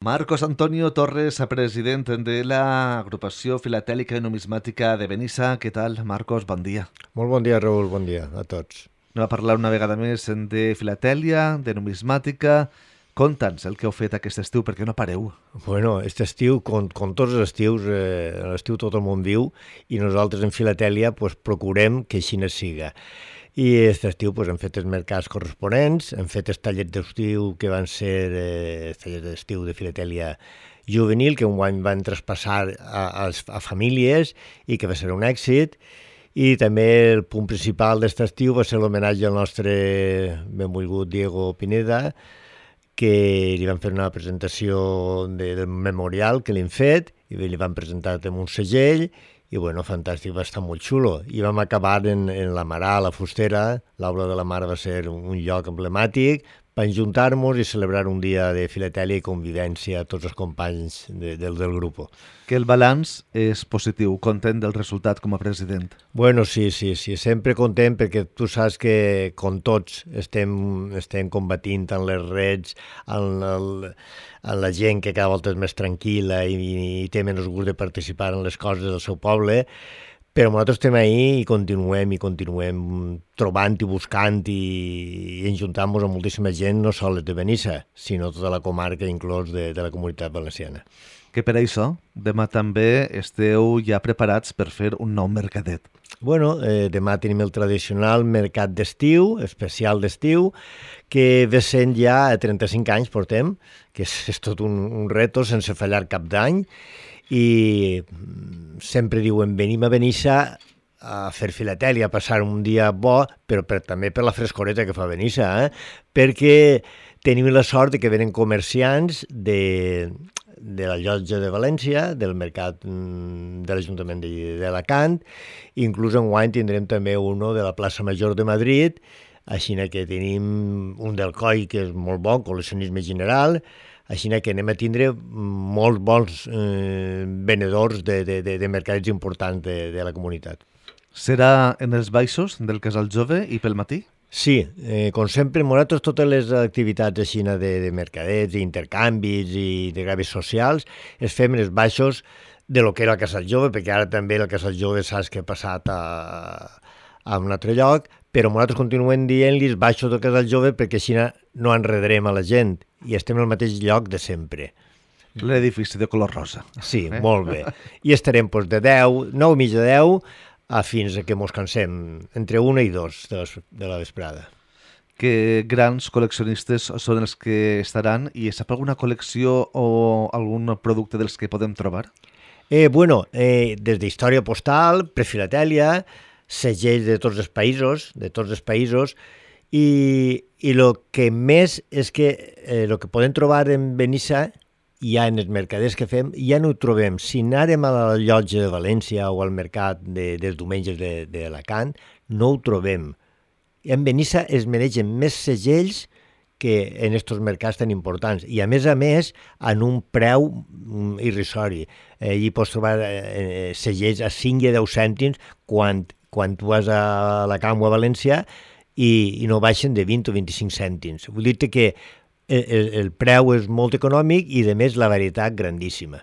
Marcos Antonio Torres, president de l'agrupació filatèlica i numismàtica de Benissa. Què tal, Marcos? Bon dia. Molt bon dia, Raül, bon dia a tots. Anem a parlar una vegada més de filatèlia, de numismàtica. Conta'ns el que heu fet aquest estiu, perquè no pareu. Bueno, aquest estiu, com tots els estius, l'estiu tot el món viu, i nosaltres en filatèlia procurem que així no siga. I aquest estiu hem fet els mercats corresponents, hem fet els tallers d'estiu que van ser els tallers d'estiu de filatèlia juvenil, que enguany van traspassar a famílies i que va ser un èxit. I també el punt principal d'aquest estiu va ser l'homenatge al nostre benvolgut Diego Pineda, que li van fer una presentació del memorial que li han fet i li van presentar amb un segell i bueno, fantàstic, va estar molt xulo. I vam acabar en la Marà, a la Fustera. L'aula de la Mar va ser un lloc emblemàtic per juntar-nos i celebrar un dia de filatèlia i convivència a tots els companys del grup. Que el balanç és positiu, content del resultat com a president. Bueno, sí, sempre content perquè tu saps que com tots estem combatint en les reds, en la gent que cada volta és més tranquil·la i té menys gust de participar en les coses del seu poble, però nosaltres estem ahí i continuem trobant i buscant i enjuntant-nos amb moltíssima gent, no sols de Benissa, sinó tota la comarca, inclòs de la comunitat valenciana. Que per això, demà també esteu ja preparats per fer un nou mercadet. Bueno, demà tenim el tradicional mercat d'estiu, especial d'estiu, que ve sent ja 35 anys portem, que és tot un reto sense fallar cap d'any, i sempre diuen venim a Benissa a fer filatèlia, a passar un dia bo, però també per la frescoreta que fa Benissa, perquè tenim la sort que venen comerciants de la llotja de València, del mercat de l'Ajuntament d'Alacant, inclús enguany tindrem també uno de la plaça Major de Madrid, així que tenim un del Coi, que és molt bon, col·leccionisme general, així que anem a tindre molts bons venedors de mercats importants de la comunitat. Serà en els baixos del Casal Jove i pel matí? Sí, com sempre, nosaltres totes les activitats així de mercadets, d'intercanvis i de gravis socials es fem en els baixos de lo que era el Casal Jove, perquè ara també el Casal Jove saps que ha passat a un altre lloc, però nosaltres continuem dient-li els baixos del Casal Jove perquè així no enredarem a la gent i estem al mateix lloc de sempre. L'edifici de color rosa. Sí, molt bé. I estarem de 10, 9 i mitja 10, fins que mos cansem, entre 1 i 2 de la vesprada. Que grans col·leccionistes són els que estaran i sap alguna col·lecció o algun producte dels que podem trobar? Bueno, des d'història postal, prefilatèlia, segells de tots els països, i el que més és que el que podem trobar en Benissa ja en els mercaders que fem, ja no ho trobem. Si anàrem a la llotja de València o al mercat dels diumenges d'Alacant, no ho trobem. En Benissa es mereixen més segells que en aquests mercats tan importants. I a més, en un preu irrisori. Allí pots trobar segells a 5 i 10 cèntims quan tu vas a Alacant o a València i no baixen de 20 o 25 cèntims. Vull dir que el preu és molt econòmic i, a més, la varietat grandíssima.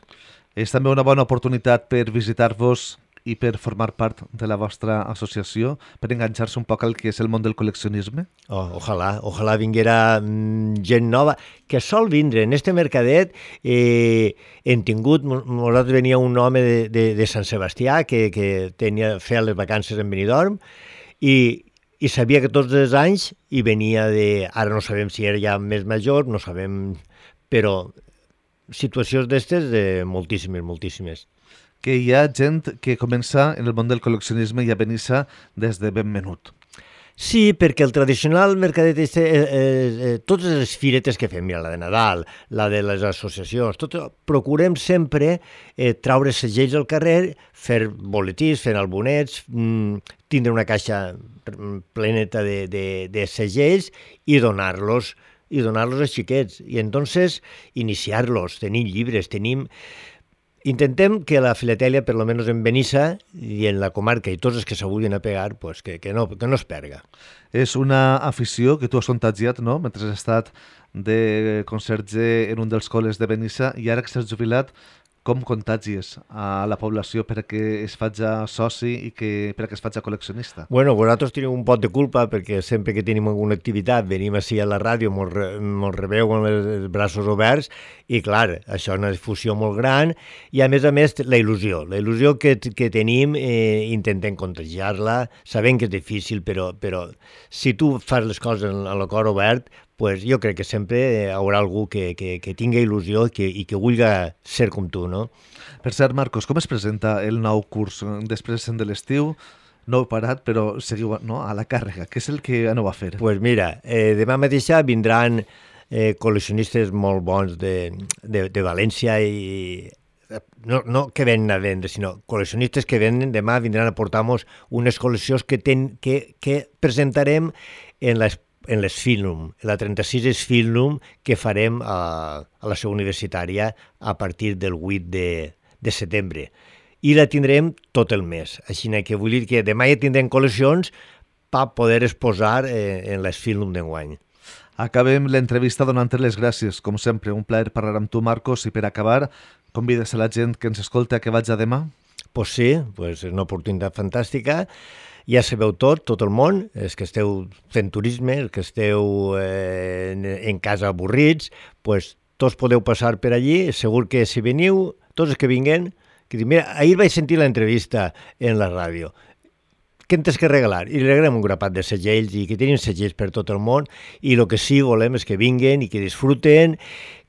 És també una bona oportunitat per visitar-vos i per formar part de la vostra associació, per enganxar-se un poc al que és el món del col·leccionisme? Ojalà vinguera gent nova, que sol vindre. En este mercadet hem tingut, nosaltres venia un home de Sant Sebastià que feia les vacances en Benidorm i sabia que tots els anys hi venia ara no sabem si era ja més major, no sabem, però situacions d'estes moltíssimes. Que hi ha gent que comença en el món del col·leccionisme i a Benissa des de ben menut. Sí, perquè el tradicional mercadet totes les firetes que fem, mira, la de Nadal, la de les associacions, procurem sempre traure segells al carrer, fer boletins, fer albonets, tindre una caixa pleneta de segells i donar-los als xiquets. I entonces iniciar-los, tenim llibres, Intentem que la filatèlia, per almenys en Benissa i en la comarca i tots els que s'avulguin a pegar, pues, que no es perga. És una afició que tu has contagiat, no?, mentre has estat de conserge en un dels col·les de Benissa i ara que s'has jubilat, com contagies a la població perquè es faci soci i perquè es faci col·leccionista? Bueno, vosaltres teniu un pot de culpa perquè sempre que tenim alguna activitat venim així a la ràdio, mos rebeu amb els braços oberts i clar, això és una difusió molt gran i a més la il·lusió que tenim intentem contagiar-la, sabem que és difícil però si tu fas les coses amb el cor obert, pues jo crec que sempre hi haurà algú que tingui il·lusió i que vulgui ser com tu, no? Per cert, Marcos, com es presenta el nou curs després de l'estiu? No heu parat, però seguiu a la càrrega. Què és el que aneu a fer? Pues mira, demà mateix vindran col·leccionistes molt bons de València i no que venen a vendre, sinó col·leccionistes que venen, demà vindran a portar-nos unes col·leccions que presentarem en les Filnum, la 36 Filnum que farem a la seu universitària a partir del 8 de setembre. I la tindrem tot el mes. Així que vull dir que demà ja tindrem col·leccions per poder exposar en les Filnum d'enguany. Acabem l'entrevista donant-te les gràcies. Com sempre, un plaer parlar amb tu, Marcos, i per acabar, convides a la gent que ens escolta a que vaig a demà? Pues sí, és una oportunitat fantàstica. Ja sabeu tot el món, els que esteu fent turisme, els que esteu en casa avorrits, pues tots podeu passar per allí, segur que si veniu, tots els que vinguen, que diuen, mira, ahir vaig sentir l'entrevista en la ràdio, què em tens que regalar? I li regalem un grapat de segells i que tenim segells per tot el món i el que sí volem és que vinguen i que disfruten,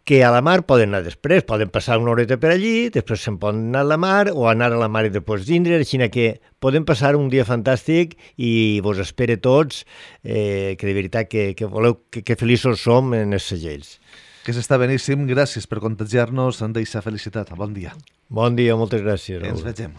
que a la mar poden anar després, poden passar una horeta per allí, després se'n poden anar a la mar o anar a la mar i després vindre, així que podem passar un dia fantàstic i vos espere tots, que de veritat que voleu, que feliços som en els segells. Que s'està beníssim, gràcies per contagiar-nos d'eixa felicitat. Bon dia. Bon dia, moltes gràcies. Ens vegem.